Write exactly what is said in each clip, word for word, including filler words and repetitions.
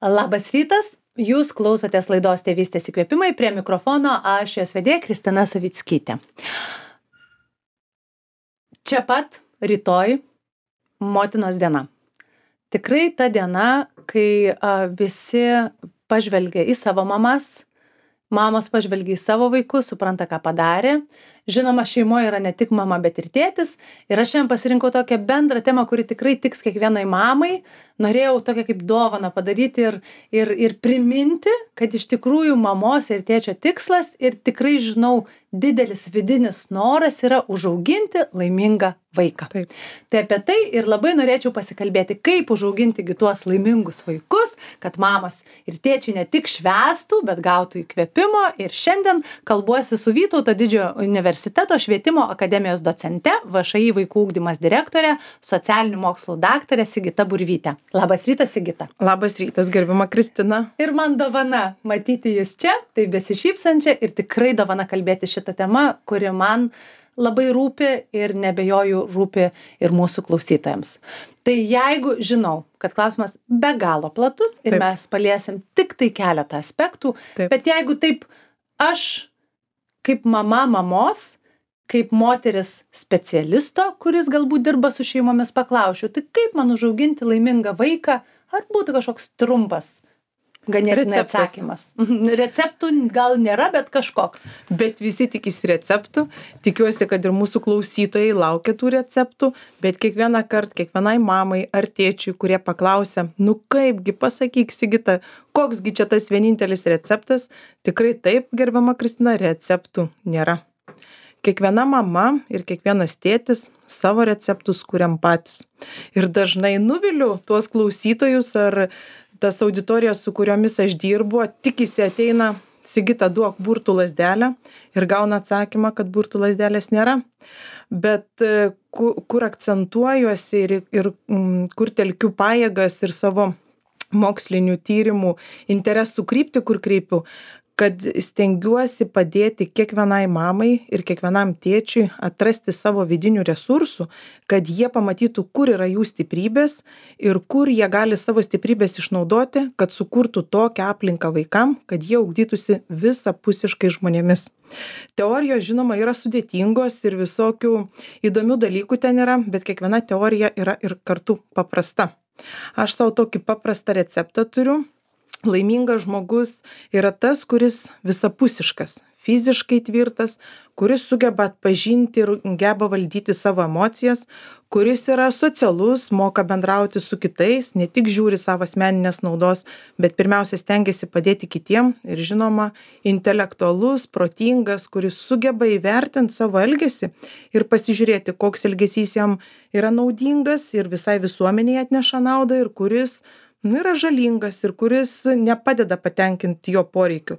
Labas rytas, jūs klausotės laidos Tėvystės įkvėpimai, prie mikrofono aš jos vedėja Kristina Savickytė. Čia pat rytoj motinos diena. Tikrai ta diena, kai a, visi pažvelgia į savo mamas, mamos pažvelgia į savo vaikus, supranta, ką padarė. Žinoma, šeimoje yra ne tik mama, bet ir tėtis. Ir aš šiandien pasirinkau tokią bendrą temą, kuri tikrai tiks kiekvienai mamai. Norėjau tokią kaip dovaną padaryti ir, ir, ir priminti, kad iš tikrųjų mamos ir tėčio tikslas ir tikrai žinau, didelis vidinis noras yra užauginti laimingą vaiką. Taip. Tai apie tai ir labai norėčiau pasikalbėti, kaip užauginti tuos laimingus vaikus, kad mamos ir tėčiai ne tik švęstų, bet gautų įkvėpimo. Ir šiandien kalbuosi su Vytauto Didžiojo universiteto švietimo akademijos docente, V Š I vaikų ugdymas direktorė, socialinių mokslų daktarė Sigita Burvytė. Labas rytas, Sigita. Labas rytas, gerbiama Kristina. Ir man dovana matyti jūs čia, tai besišypsančią ir tikrai dovana kalbėti šitą temą, kuri man labai rūpi ir nebejoju rūpi ir mūsų klausytojams. Tai jeigu žinau, kad klausimas be galo platus ir Taip. mes paliesim tik tai keletą aspektų, Taip. bet jeigu taip aš kaip mama mamos, kaip moteris specialisto, kuris galbūt dirba su šeimomis, paklausčiau, tai kaip man užauginti laimingą vaiką, ar būtų kažkoks trumpas ganėtinai Receptas. atsakymas. Receptų gal nėra, bet kažkoks. Bet visi tikisi receptų. Tikiuosi, kad ir mūsų klausytojai laukia tų receptų, bet kiekvieną kartą, kiekvienai mamai ar tėčiui, kurie paklausia, nu kaipgi pasakyk, Sigita, koksgi čia tas vienintelis receptas, tikrai taip, gerbiama Kristina, receptų nėra. Kiekviena mama ir kiekvienas tėtis savo receptus kuriam patys. Ir dažnai nuviliu tuos klausytojus ar tas auditorijas, su kuriomis aš dirbu, tikisi ateina, Sigita, duok burtų lazdelę ir gauna atsakymą, kad burtų lazdelės nėra. Bet kur, kur akcentuojuosi ir, ir mm, kur telkiu pajėgas ir savo mokslinių tyrimų interesų kryptį, kur kreipiu, kad stengiuosi padėti kiekvienai mamai ir kiekvienam tėčiui atrasti savo vidinių resursų, kad jie pamatytų, kur yra jų stiprybės ir kur jie gali savo stiprybės išnaudoti, kad sukurtų tokią aplinką vaikam, kad jie ugdytųsi visapusiškai žmonėmis. Teorijos, žinoma, yra sudėtingos ir visokių įdomių dalykų ten yra, bet kiekviena teorija yra ir kartu paprasta. Aš savo tokį paprastą receptą turiu. Laimingas žmogus yra tas, kuris visapusiškas, fiziškai tvirtas, kuris sugeba atpažinti ir geba valdyti savo emocijas, kuris yra socialus, moka bendrauti su kitais, ne tik žiūri savo asmeninės naudos, bet pirmiausia stengiasi padėti kitiem ir žinoma, intelektualus, protingas, kuris sugeba įvertinti savo elgesį ir pasižiūrėti, koks elgesys jam yra naudingas ir visai visuomeniai atneša naudą ir kuris nu, yra žalingas ir kuris nepadeda patenkinti jo poreikių.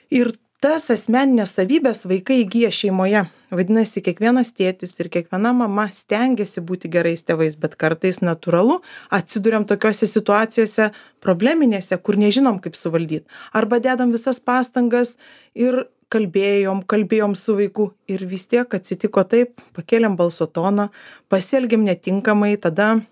Ir tas asmeninės savybės vaikai įgyja šeimoje. Vadinasi, kiekvienas tėtis ir kiekviena mama stengiasi būti gerais tėvais, bet kartais natūralu atsiduriam tokiose situacijose probleminėse, kur nežinom, kaip suvaldyti. Arba dedam visas pastangas ir kalbėjom, kalbėjom su vaiku ir vis tiek atsitiko taip, pakėlėm balso toną, pasielgėm netinkamai, tada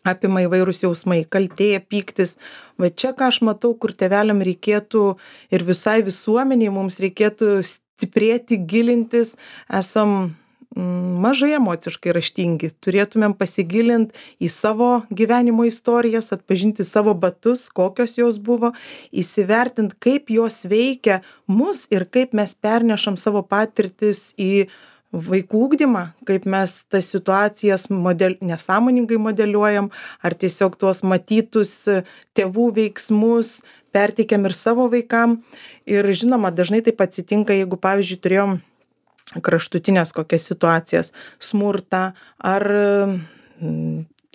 apima įvairūs jausmai, kaltė, pyktis. Va čia, ką aš matau, kur tėveliam reikėtų ir visai visuomeniai mums reikėtų stiprėti, gilintis, esam mm, mažai emociškai raštingi. Turėtumėm pasigilinti į savo gyvenimo istorijas, atpažinti savo batus, kokios jos buvo, įsivertinti, kaip jos veikia mus ir kaip mes pernešam savo patirtis į vaikų ugdymą, kaip mes tas situacijas model, nesąmoningai modeliuojam, ar tiesiog tuos matytus tėvų veiksmus perteikiam ir savo vaikam. Ir žinoma, dažnai taip atsitinka, jeigu, pavyzdžiui, turėjom kraštutinės kokias situacijas, smurtą, ar,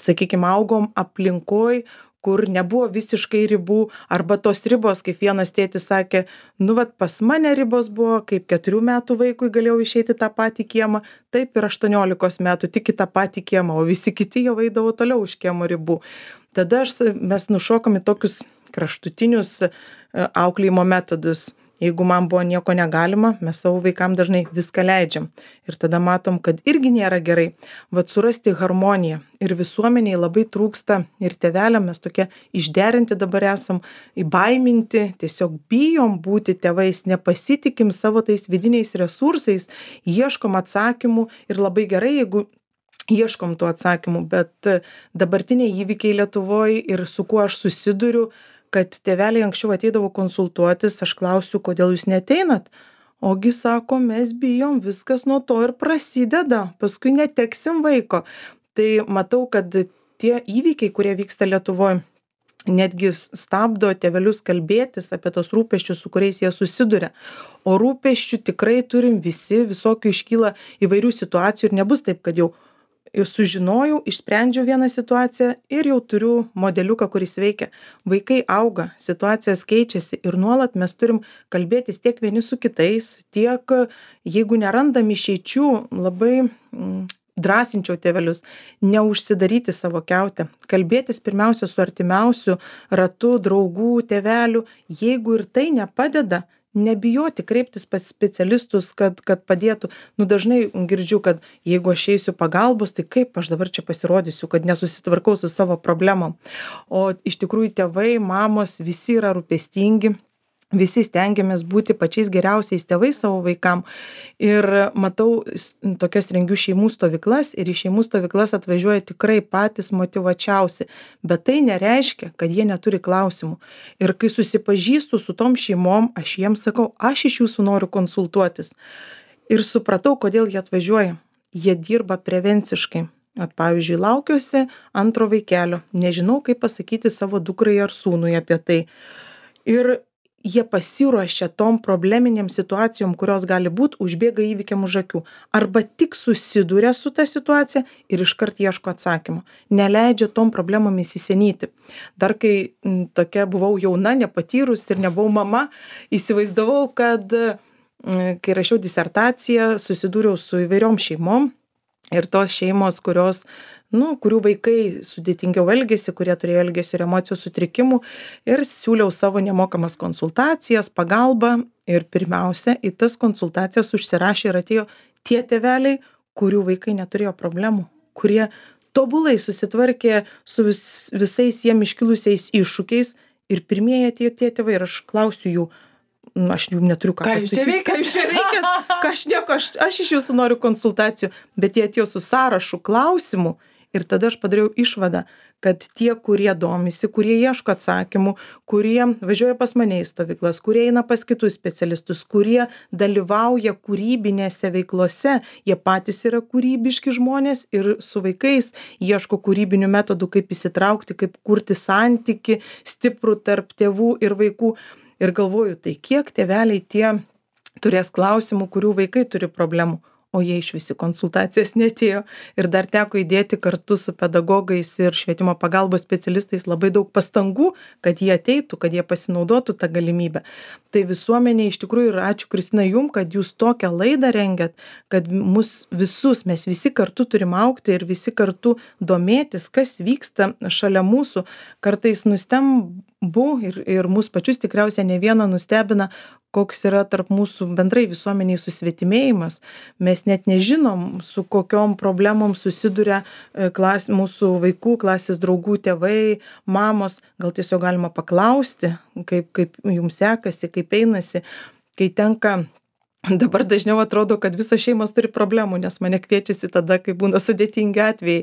sakykime, augom aplinkoj, kur nebuvo visiškai ribų, arba tos ribos, kaip vienas tėtis sakė, nu vat pas mane ribos buvo, kaip keturių metų vaikui galėjau išeiti tą patį kiemą, taip ir aštuoniolikos metų tik į tą patį kiemą, o visi kiti jau eidavo toliau už kiemo ribų. Tada aš, mes nušokam į tokius kraštutinius auklėjimo metodus. Jeigu man buvo nieko negalima, mes savo vaikam dažnai viską leidžiam. Ir tada matom, kad irgi nėra gerai. Vat surasti harmoniją. Ir visuomeniai labai trūksta ir tėveliam, mes tokie išderinti dabar esam, įbaiminti, tiesiog bijom būti tėvais, nepasitikim savo tais vidiniais resursais, ieškom atsakymų ir labai gerai, jeigu ieškom tų atsakymų, bet dabartiniai įvykiai Lietuvoj ir su kuo aš susiduriu, kad tėveliai anksčiau ateidavo konsultuotis, aš klausiu, kodėl jūs neteinat? Ogi sako, mes bijom, viskas nuo to ir prasideda, paskui neteksim vaiko. Tai matau, kad tie įvykiai, kurie vyksta Lietuvoj, netgi stabdo tėvelius kalbėtis apie tos rūpesčius, su kuriais jie susiduria. O rūpesčių tikrai turim visi, visokių iškyla įvairių situacijų ir nebus taip, kad jau sužinojau, išsprendžiau vieną situaciją ir jau turiu modeliuką, kuris veikia. Vaikai auga, situacijos keičiasi ir nuolat mes turim kalbėtis tiek vieni su kitais, tiek jeigu nerandam išeičių, labai mm, drąsinčiau tėvelius, neužsidaryti savo kiautę, kalbėtis pirmiausia su artimiausiu ratu, draugų, tėvelių, jeigu ir tai nepadeda, nebijoti kreiptis pas specialistus, kad, kad padėtų. Nu, dažnai girdžiu, kad jeigu aš eisiu pagalbos, tai kaip aš dabar čia pasirodysiu, kad nesusitvarkau su savo problemom. O iš tikrųjų tėvai, mamos, visi yra rūpestingi. Visi stengiamės būti pačiais geriausiais tėvais savo vaikam. Ir matau, tokias rengiu šeimų stovyklas ir į šeimų stovyklas atvažiuoja tikrai patys motyvačiausi. Bet tai nereiškia, kad jie neturi klausimų. Ir kai susipažįstu su tom šeimom, aš jiems sakau, aš iš jūsų noriu konsultuotis. Ir supratau, kodėl jie atvažiuoja. Jie dirba prevenciškai. At, pavyzdžiui, laukiuosi antro vaikelio. Nežinau, kaip pasakyti savo dukrai ar sūnui apie tai. Ir jie pasiruošia tom probleminėm situacijom, kurios gali būt, užbėga įvykiam už akių. Arba tik susiduria su ta situacija ir iškart ieško atsakymo. Neleidžia tom problemom įsisenyti. Dar kai m, tokia buvau jauna, nepatyrus ir nebuvau mama, įsivaizdavau, kad m, kai rašiau disertaciją, susidūriau su įvairiom šeimom ir tos šeimos, kurios nu, kurių vaikai sudėtingiau elgėsi, kurie turėjo elgesio ir emocijų sutrikimų ir siūliau savo nemokamas konsultacijas, pagalbą ir pirmiausia, į tas konsultacijas užsirašė ir atėjo tie tėveliai, kurių vaikai neturėjo problemų, kurie tobulai susitvarkė su vis, visais jiem iškilusiais iššūkiais ir pirmieji atėjo tie tėvai ir aš klausiu jų, nu, aš jų neturiu ką, ką jūs čia veikiat, ką jūs čia veikiat, ką aš nieko, aš, aš iš jūsų noriu konsultacijų, bet jie atėjo su sąrašu klausimų. Ir tada aš padariau išvadą, kad tie, kurie domisi, kurie ieško atsakymų, kurie važiuoja pas mane į stovyklas, kurie eina pas kitus specialistus, kurie dalyvauja kūrybinėse veiklose, jie patys yra kūrybiški žmonės ir su vaikais ieško kūrybinių metodų, kaip įsitraukti, kaip kurti santyki stiprų tarp tėvų ir vaikų. Ir galvoju, tai kiek tėveliai tie turės klausimų, kurių vaikai turi problemų. O jie iš visi konsultacijas netėjo ir dar teko įdėti kartu su pedagogais ir švietimo pagalbos specialistais labai daug pastangų, kad jie ateitų, kad jie pasinaudotų tą galimybę. Tai visuomenė iš tikrųjų ir ačiū Kristina jum, kad jūs tokią laidą rengiat, kad mus visus, mes visi kartu turim augti ir visi kartu domėtis, kas vyksta šalia mūsų. Kartais nustembu ir, ir mus pačius tikriausiai ne vieną nustebina, koks yra tarp mūsų bendrai visuomeniai susvetimėjimas. Mes net nežinom, su kokiom problemom susiduria klas, mūsų vaikų, klasės draugų, tėvai, mamos. Gal tiesiog galima paklausti, kaip, kaip jums sekasi, kaip einasi, kai tenka. Dabar dažniau atrodo, kad visos šeimos turi problemų, nes mane kviečiasi tada, kai būna sudėtingi atvejai.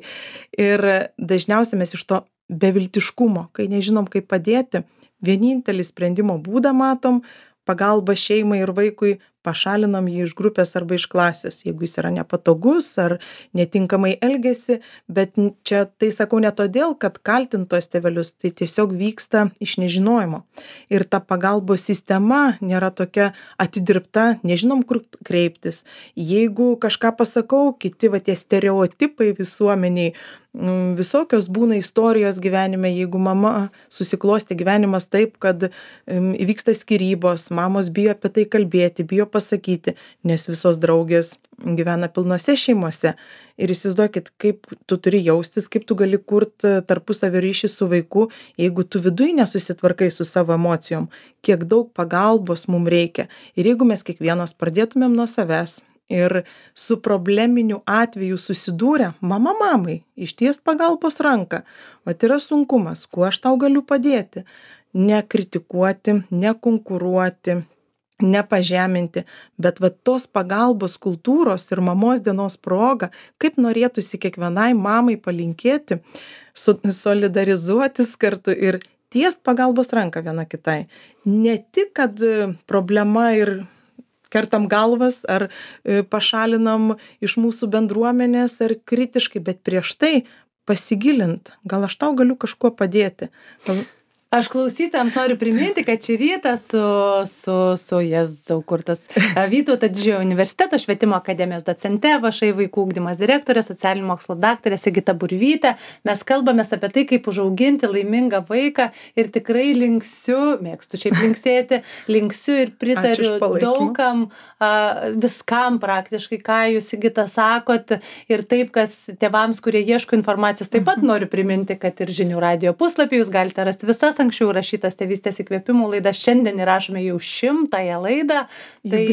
Ir dažniausiai mes iš to beviltiškumo, kai nežinom, kaip padėti, vienintelį sprendimo būdą matom, pagalba šeimai ir vaikui, pašalinam jį iš grupės arba iš klasės, jeigu jis yra nepatogus ar netinkamai elgesi, bet čia tai sakau ne todėl, kad kaltintos tėvelius, tai tiesiog vyksta iš nežinojimo. Ir ta pagalbos sistema nėra tokia atidirbta, nežinom kur kreiptis. Jeigu kažką pasakau, kiti va tie stereotipai visuomeniai, visokios būna istorijos gyvenime, jeigu mama susiklosti gyvenimas taip, kad įvyksta skyrybos, mamos bijo apie tai kalbėti, bijo pasakyti, nes visos draugės gyvena pilnose šeimose. Ir įsivaizduokit, kaip tu turi jaustis, kaip tu gali kurti tarpusavio ryšį su vaiku, jeigu tu viduj nesusitvarkai su savo emocijom, kiek daug pagalbos mums reikia. Ir jeigu mes kiekvienas pradėtumėm nuo savęs ir su probleminiu atveju susidūrę, mama mamai, išties pagalbos ranką, vat yra sunkumas, kuo aš tau galiu padėti, nekritikuoti, nekonkuruoti, nepažeminti, bet va tos pagalbos kultūros ir mamos dienos proga, kaip norėtųsi kiekvienai mamai palinkėti, su, solidarizuotis kartu ir tiest pagalbos ranką viena kitai. Ne tik, kad problema ir kertam galvas ar pašalinam iš mūsų bendruomenės ar kritiškai, bet prieš tai pasigilint, gal aš tau galiu kažkuo padėti. Gal... Aš klausytojams noriu priminti, kad šį rytą su, su, su Jėzau, kur tas Vytauto Didžiojo universiteto švietimo akademijos docente, V Š I vaikų ugdymas direktorė, socialinių mokslų daktarė Sigita Burvytė. Mes kalbamės apie tai, kaip užauginti laimingą vaiką ir tikrai linksiu, mėgstu šiaip linksėti, linksiu ir pritariu daugam, viskam praktiškai, ką jūs, Sigita, sakot. Ir taip, kas tėvams, kurie ieško informacijos, taip pat noriu priminti, kad ir žinių radijo puslapį jūs galite rasti visas anksčiau rašytas tėvystės įkvėpimų laidas. Šiandien įrašome jau šimtąją laidą. Tai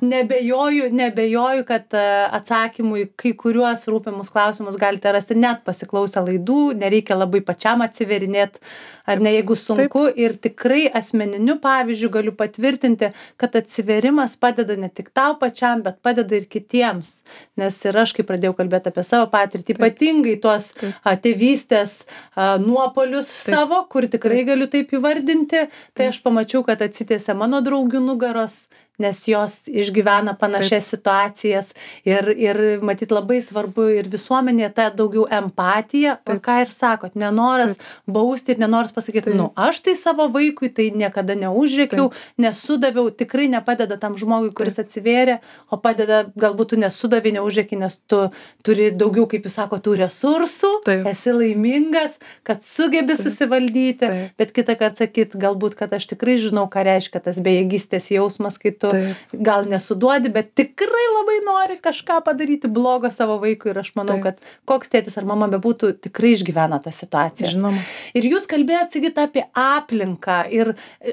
nebejoju, nebejoju, kad atsakymų į kai kuriuos rūpimus klausimus galite rasti net pasiklausę laidų. Nereikia labai pačiam atsiverinėti, ar ne, jeigu sunku. Taip. Ir tikrai asmeniniu pavyzdžiu galiu patvirtinti, kad atsiverimas padeda ne tik tau pačiam, bet padeda ir kitiems. Nes ir aš, kai pradėjau kalbėti apie savo patirtį, Taip. Ypatingai tuos a, tėvystės a, nuopolius Taip. Savo, kur tikrai galiu taip įvardinti, tai aš pamačiau, kad atsitiesia mano draugių nugaros, nes jos išgyvena panašias Taip. Situacijas ir, ir matyt labai svarbu ir visuomenėje ta daugiau empatija, o ką ir sakot, nenoras Taip. Bausti ir nenoras pasakyti, Taip. Nu, aš tai savo vaikui tai niekada neužrėkiau, nesudaviau, tikrai nepadeda tam žmogui, kuris Taip. Atsivėrė, o padeda, galbūt tu nesudavai, neužrėki, nes tu turi daugiau, kaip jūs sako, tų resursų, Taip. Esi laimingas, kad sugebi Taip. Susivaldyti, Taip. Bet kitą kartą sakyt, galbūt, kad aš tikrai žinau, ką reiškia tas bejėgystės jausmas, kai tu Taip. Gal nesuduodi, bet tikrai labai nori kažką padaryti blogo savo vaikui ir aš manau, Taip. Kad koks tėtis ar mama bebūtų, tikrai išgyvena tą situaciją. Žinoma. Ir jūs kalbėjot, Sigita, apie aplinką ir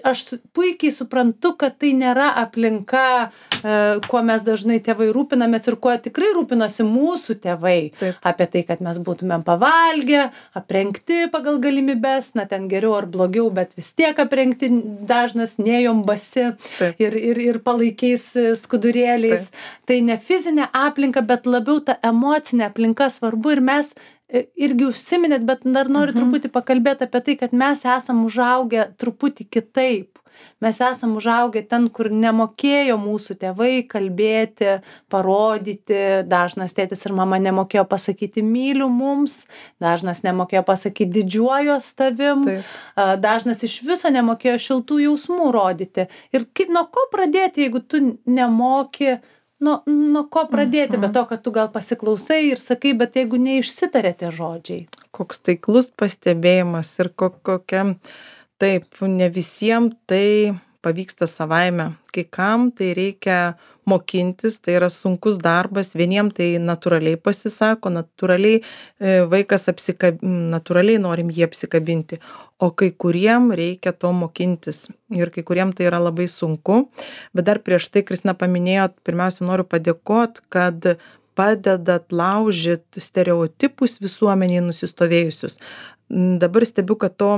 aš puikiai suprantu, kad tai nėra aplinka, kuo mes dažnai tėvai rūpinamės ir kuo tikrai rūpinosi mūsų tėvai. Taip. Apie tai, kad mes būtumėm pavalgę, aprengti pagal galimybes, na ten geriau ar blogiau, bet vis tiek aprengti, dažnas nejom basi ir, ir, ir palaikiais skudurėliais. Taip. Tai ne fizinė aplinka, bet labiau ta emocinė aplinka svarbu ir mes irgi užsiminėt, bet dar noriu mhm. truputį pakalbėti apie tai, kad mes esam užaugę truputį kitaip. Mes esam užaugę ten, kur nemokėjo mūsų tėvai kalbėti, parodyti, dažnas tėtis ir mama nemokėjo pasakyti myliu mums, dažnas nemokėjo pasakyti didžiuojuos tavim, Taip. Dažnas iš viso nemokėjo šiltų jausmų rodyti. Ir kaip nuo ko pradėti, jeigu tu nemoki, nuo, nuo ko pradėti, mhm. be to, kad tu gal pasiklausai ir sakai, bet jeigu neišsitarė tie žodžiai. Koks taiklus pastebėjimas ir ko, kokia... Taip, ne visiems tai pavyksta savaime. Kai kam tai reikia mokintis, tai yra sunkus darbas, vieniem tai natūraliai pasisako, natūraliai vaikas apsikab... natūraliai norim jį apsikabinti, o kai kuriem reikia to mokintis ir kai kuriem tai yra labai sunku. Bet dar prieš tai, Kristina, paminėjot, pirmiausia noriu padėkot, kad padedat laužyti stereotipus visuomeniai nusistovėjusius. Dabar stebiu, kad to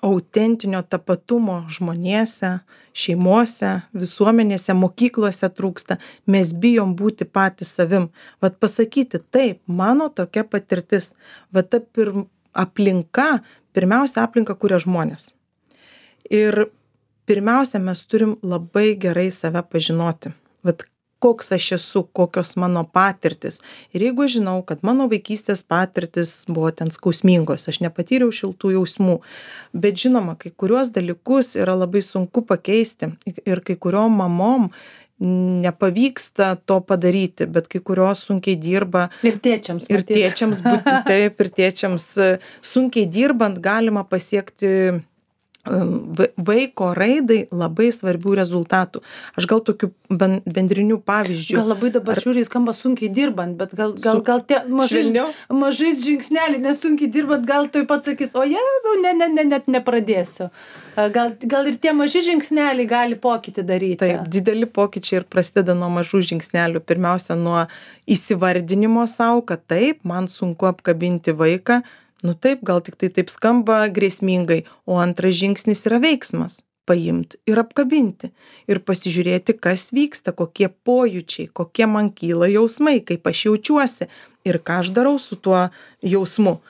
autentinio tapatumo žmonėse, šeimose, visuomenėse, mokyklose trūksta. Mes bijom būti patys savim. Vat pasakyti, taip, mano tokia patirtis. Vat ta pir... aplinka, pirmiausia aplinka kuria žmonės. Ir pirmiausia, mes turim labai gerai save pažinoti. Vat koks aš esu, kokios mano patirtis. Ir jeigu žinau, kad mano vaikystės patirtis buvo ten skausmingos, aš nepatyriau šiltų jausmų, bet žinoma, kai kuriuos dalykus yra labai sunku pakeisti ir kai kuriom mamom nepavyksta to padaryti, bet kai kurios sunkiai dirba. Ir tėčiams. Ir tėčiams būti taip, ir tėčiams sunkiai dirbant galima pasiekti vaiko raidai labai svarbių rezultatų. Aš gal tokių bendrinių pavyzdžių. Gal labai dabar žiūri, skamba sunkiai dirbant, bet gal, gal, gal tie mažais, mažais žingsneliai, nesunkiai dirbant, gal tu pats sakys, o jėzau, ne, ne, ne, net nepradėsiu. Gal, gal ir tie maži žingsneliai gali pokytį daryti. Taip, dideli pokyčiai ir prasideda nuo mažų žingsnelių. Pirmiausia, nuo įsivardinimo savo, kad taip, man sunku apkabinti vaiką. Nu taip, gal tik tai taip skamba grėsmingai, o antras žingsnis yra veiksmas - paimti ir apkabinti. Ir pasižiūrėti, kas vyksta, kokie pojūčiai, kokie man kyla jausmai, kaip aš jaučiuosi ir ką aš darau su tuo jausmu.